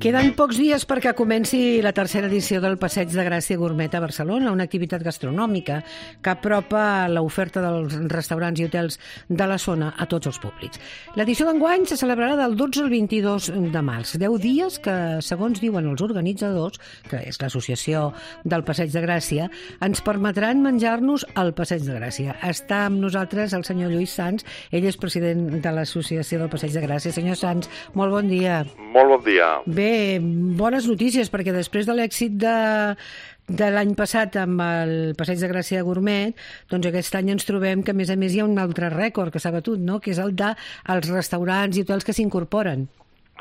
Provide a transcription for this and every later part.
Queden pocs dies perquè comenci la tercera edició del Passeig de Gràcia Gourmet a Barcelona, una activitat gastronòmica que apropa l'oferta dels restaurants i hotels de la zona a tots els públics. L'edició d'enguany se celebrarà del 12 al 22 de març, 10 dies que, segons diuen els organitzadors, que és l'Associació del Passeig de Gràcia, ens permetran menjar-nos al Passeig de Gràcia. Està amb nosaltres el senyor Lluís Sans, ell és president de l'Associació del Passeig de Gràcia. Senyor Sans, molt bon dia. Molt bon dia. Bé, bones notícies, perquè després de l'èxit de l'any passat amb el Passeig de Gràcia Gourmet, doncs aquest any ens trobem que, a més hi ha un altre rècord que s'ha batut, no?, que és el dels restaurants i hotels que s'incorporen.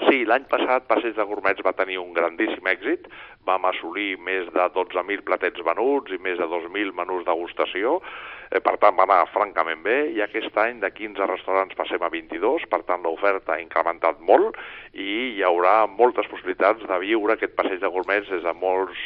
Sí, l'any passat Passeig de Gourmets va tenir un grandíssim èxit. Vam assolir més de 12.000 platets venuts i més de 2.000 menús degustació. Per tant, va anar francament bé, i aquest any de 15 restaurants passem a 22, per tant l'oferta ha incrementat molt i hi haurà moltes possibilitats de viure aquest Passeig de Gourmets des de moltes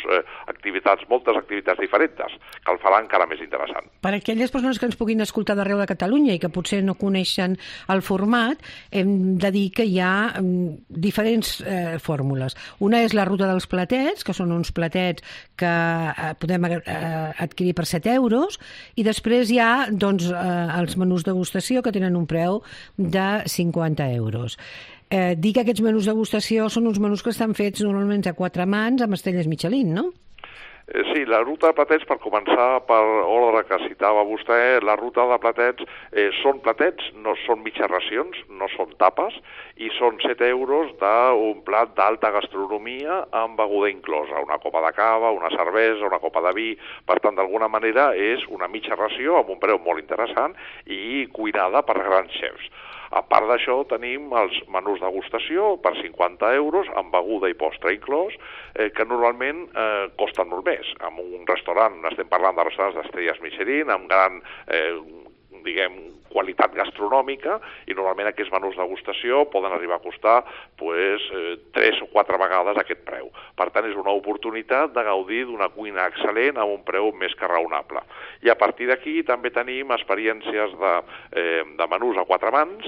activitats diferents, que el farà encara més interessant. Per a aquelles persones que ens puguin escoltar d'arreu de Catalunya i que potser no coneixen el format, hem de dir que hi ha diferents fórmules. Una és la ruta dels platets, que són uns platets que podem adquirir per 7 euros, i després hi ha els menús degustació, que tenen un preu de 50 euros. Dir que aquests menús degustació són uns menús que estan fets normalment a 4 mans amb estrelles Michelin, no? Sí, la ruta de platets, per començar per ordre que citava vostè, la ruta de platets són platets, no són mitges racions, no són tapes, i són 7 euros d'un plat d'alta gastronomia amb beguda inclosa, una copa de cava, una cervesa, una copa de vi. Per tant, d'alguna manera és una mitja ració amb un preu molt interessant i cuinada per grans xefs. A part d'això, tenim els menús degustació per 50 euros, amb beguda i postre inclòs, que normalment costen molt més. En un restaurant, estem parlant de restaurants d'estrelles Michelin, amb gran, qualitat gastronòmica, i normalment aquests menús degustació poden arribar a costar 3 o 4 vegades aquest preu. Per tant, és una oportunitat de gaudir d'una cuina excel·lent amb un preu més que raonable. I a partir d'aquí també tenim experiències de menús a 4 mans,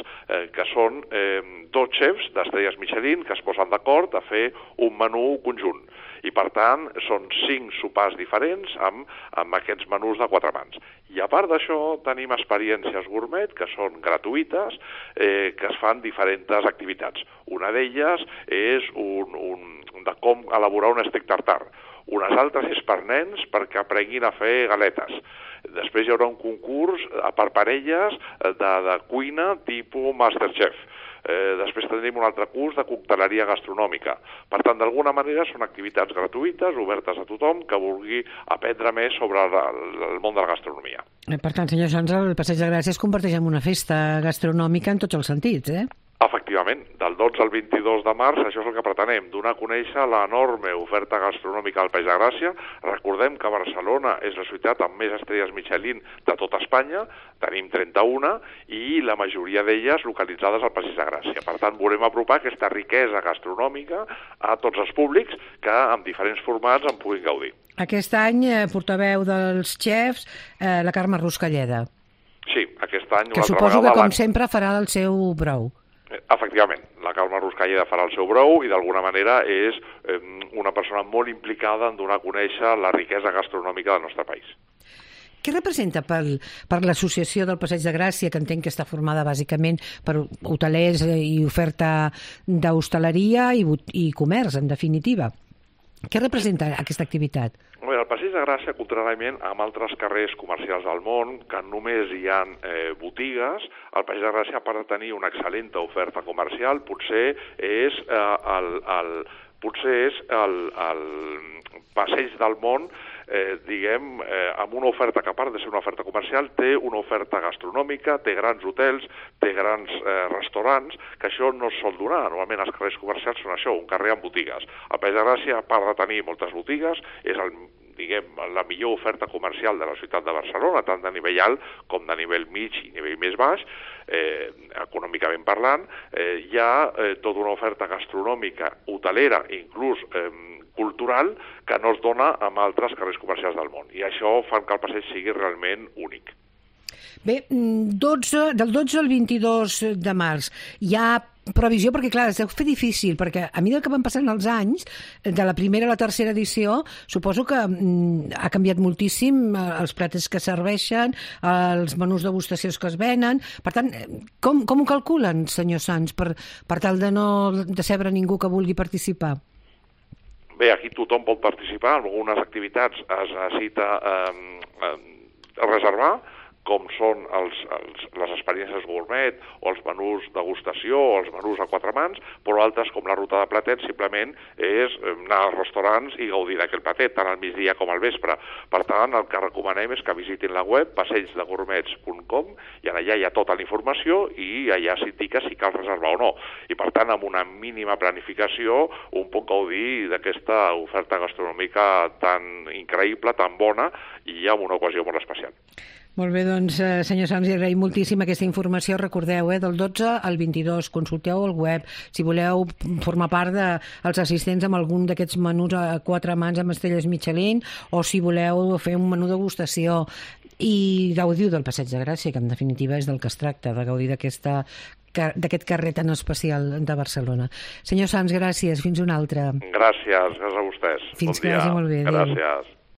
que són 2 xefs d'estrelles Michelin que es posen d'acord a fer un menú conjunt. I, per tant, són 5 sopars diferents amb aquests menús de 4 mans. I, a part d'això, tenim experiències gourmet que són gratuïtes, que es fan diferents activitats. Una d'elles és de com elaborar un steak tartar. Unes altres és per nens perquè aprenguin a fer galetes. Després hi haurà un concurs per parelles de cuina tipus Masterchef. Després tindrem un altre curs de cocteleria gastronòmica. Per tant, d'alguna manera són activitats gratuïtes, obertes a tothom que vulgui aprendre més sobre el món de la gastronomia. Per tant, senyor Sans, el Passeig de Gràcia es converteix en una festa gastronòmica en tots els sentits, Efectivament, del 12 al 22 de març, això és el que pretenem, donar a conèixer l'enorme oferta gastronòmica al Passeig de Gràcia. Recordem que Barcelona és la ciutat amb més estrelles Michelin de tot Espanya, tenim 31, i la majoria d'elles localitzades al Passeig de Gràcia. Per tant, volem apropar aquesta riquesa gastronòmica a tots els públics que amb diferents formats en puguin gaudir. Aquest any, portaveu dels xefs, la Carme Ruscalleda. Sí, aquest any... Que suposo que, com sempre, farà el seu brou. Efectivament, la Carme Ruscalleda farà el seu brou i d'alguna manera és una persona molt implicada en donar a conèixer la riquesa gastronòmica del nostre país. Què representa per l'associació del Passeig de Gràcia, que entenc que està formada bàsicament per hotelers i oferta d'hostaleria i comerç, en definitiva? Què representa aquesta activitat? El Passeig de Gràcia, contrarament amb altres carrers comercials del món, que només hi ha botigues, el Passeig de Gràcia, a part de tenir una excel·lent oferta comercial, potser és el passeig del món, amb una oferta que, a part de ser una oferta comercial, té una oferta gastronòmica, té grans hotels, té grans restaurants, que això no es sol donar. Normalment els carrers comercials són això, un carrer amb botigues. El Passeig de Gràcia, a part de tenir moltes botigues, és la millor oferta comercial de la ciutat de Barcelona, tant de nivell alt com de nivell mig i nivell més baix, econòmicament parlant. Hi ha tota una oferta gastronòmica, hotelera, inclús cultural, que no es dona amb altres carrers comercials del món. I això fa que el passeig sigui realment únic. Bé, del 12 al 22 de març hi ha previsió, perquè clar, es deu fer difícil, perquè a mesura que van passant els anys, de la primera a la tercera edició, suposo que ha canviat moltíssim els plats que serveixen, els menús degustacions que es venen. Per tant, com ho calculen, senyor Sans, per tal de no decebre ningú que vulgui participar? Bé, aquí tothom pot participar, en algunes activitats es necessita reservar, com són les experiències gourmet o els menús degustació o els menús a quatre mans, però altres, com la ruta de platet, simplement és anar als restaurants i gaudir d'aquell platet, tant al migdia com al vespre. Per tant, el que recomanem és que visitin la web passeigsdegourmets.com i allà hi ha tota la informació i allà s'indica si cal reservar o no. I per tant, amb una mínima planificació, un pot gaudir d'aquesta oferta gastronòmica tan increïble, tan bona i amb una ocasió molt especial. Molt bé, doncs, senyor Sans, li agraïm moltíssim aquesta informació. Recordeu, del 12 al 22, consulteu el web. Si voleu formar part dels assistents amb algun d'aquests menús a quatre mans amb estrelles Michelin, o si voleu fer un menú degustació, i gaudiu del Passeig de Gràcia, que en definitiva és del que es tracta, de gaudir d'aquest carrer tan especial de Barcelona. Senyor Sans, gràcies. Fins una altra. Gràcies a vostès. Fins que vagi molt bé. Gràcies.